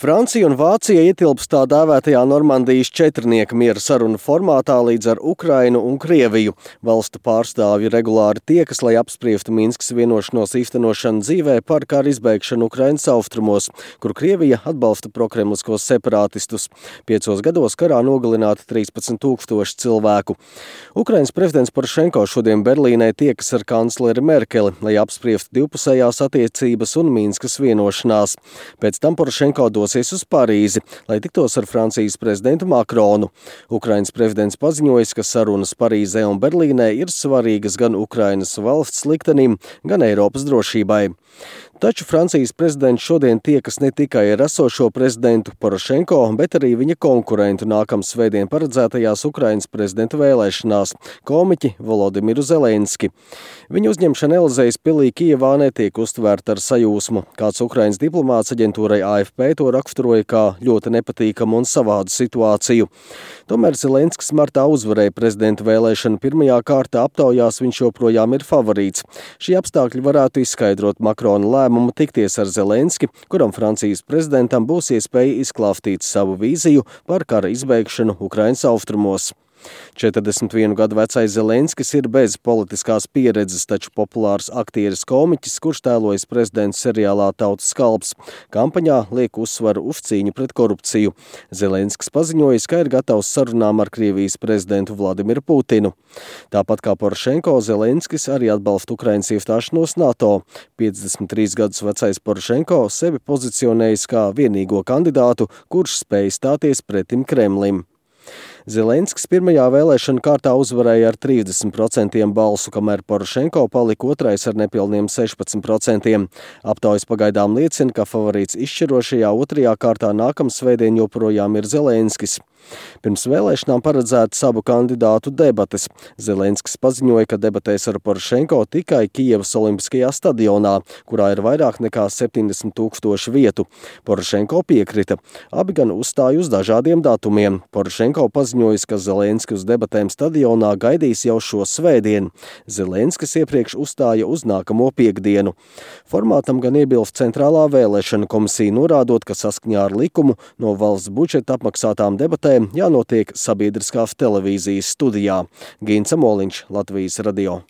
Francija un Vācija ietilpst tā dēvētajā Normandijas četrnieka miera sarunu formātā līdz ar Ukrainu un Krieviju. Valstu pārstāvji regulāri tiekas, lai apspriestu Minskas vienošanos īstenošanu dzīvē par kara izbeigšanu Ukrainas austrumos, kur Krievija atbalsta prokremliskos separātistus. 5 gados karā nogalināti 13 000 cilvēku. Ukrainas prezidents Porošenko šodien Berlīnē tiekas ar kancleri Merkeli, lai apspriestu divpusējās attiecības un Minskas vienošanās. Pēc tam Porošenko dosies uz Parīzi, lai tiktos ar Francijas prezidentu Makronu. Ukrainas prezidents paziņojis, ka sarunas Parīzē un Berlīnē ir svarīgas gan Ukrainas valsts liktenim, gan Eiropas drošībai. Taču Francijas prezidents šodien tiekas ne tikai ar esošo prezidentu Porošenko, bet arī viņa konkurentu nākamsvētdien paredzētajās Ukrainas prezidenta vēlēšanās – komiķi Volodimiru Zelenski. Viņa uzņemšana Elizejas pilī Kijevā netiek uztvērta ar sajūsmu. Kāds Ukrainas diplomāts aģentūrai AFP to raksturoja kā ļoti nepatīkamu un savādu situāciju. Tomēr Zelenskis martā uzvarēja prezidenta vēlēšanu pirmajā kārtā, aptaujās viņš joprojām ir favorīts. Šie apstākļi varētu izskaidrot Makrona lēmumu tikties ar Zelenski, kuram Francijas prezidentam būs iespēja izklāstīt savu vīziju par kara izbeigšanu Ukrainas austrumos. 41 gadu vecais Zelenskis ir bez politiskās pieredzes, taču populārs aktieris komiķis, kurš tēlojas prezidents seriālā Tautas kalps. Kampaņā liek uzsvaru uz cīņu pret korupciju. Zelenskis paziņojis, ka ir gatavs sarunām ar Krievijas prezidentu Vladimiru Putinu. Tāpat kā Porošenko, Zelenskis arī atbalsta Ukrainas iestāšanos NATO. 53 gadus vecais Porošenko sevi pozicionējis kā vienīgo kandidātu, kurš spēj stāties pretim Kremlim. Zelenskis pirmajā vēlēšanu kārtā uzvarēja ar 30% balsu, kamēr Porošenko palika otrais ar nepilniem 16%. Aptaujas pagaidām liecina, ka favorīts izšķirošajā otrajā kārtā nākamsvētdien joprojām ir Zelenskis. Pirms vēlēšanām paredzētas abu kandidātu debates. Zelenskis paziņoja, ka debatēs ar Porošenko tikai Kijevas Olimpiskajā stadionā, kurā ir vairāk nekā 70 000 vietu. Porošenko piekrita. Abi gan uzstāja uz dažādiem datumiem. Porošenko paziņojis, ka Zelenski uz debatēm stadionā gaidīs jau šo svētdienu. Zelenskis iepriekš uzstāja uz nākamo piektdienu. Formātam gan iebilst Centrālā vēlēšana komisija, norādot, ka saskaņā ar likumu no valsts budžeta apmaksātām debatēm jānotiek sabiedriskās televīzijas studijā. Gints Amoliņš, Latvijas radio.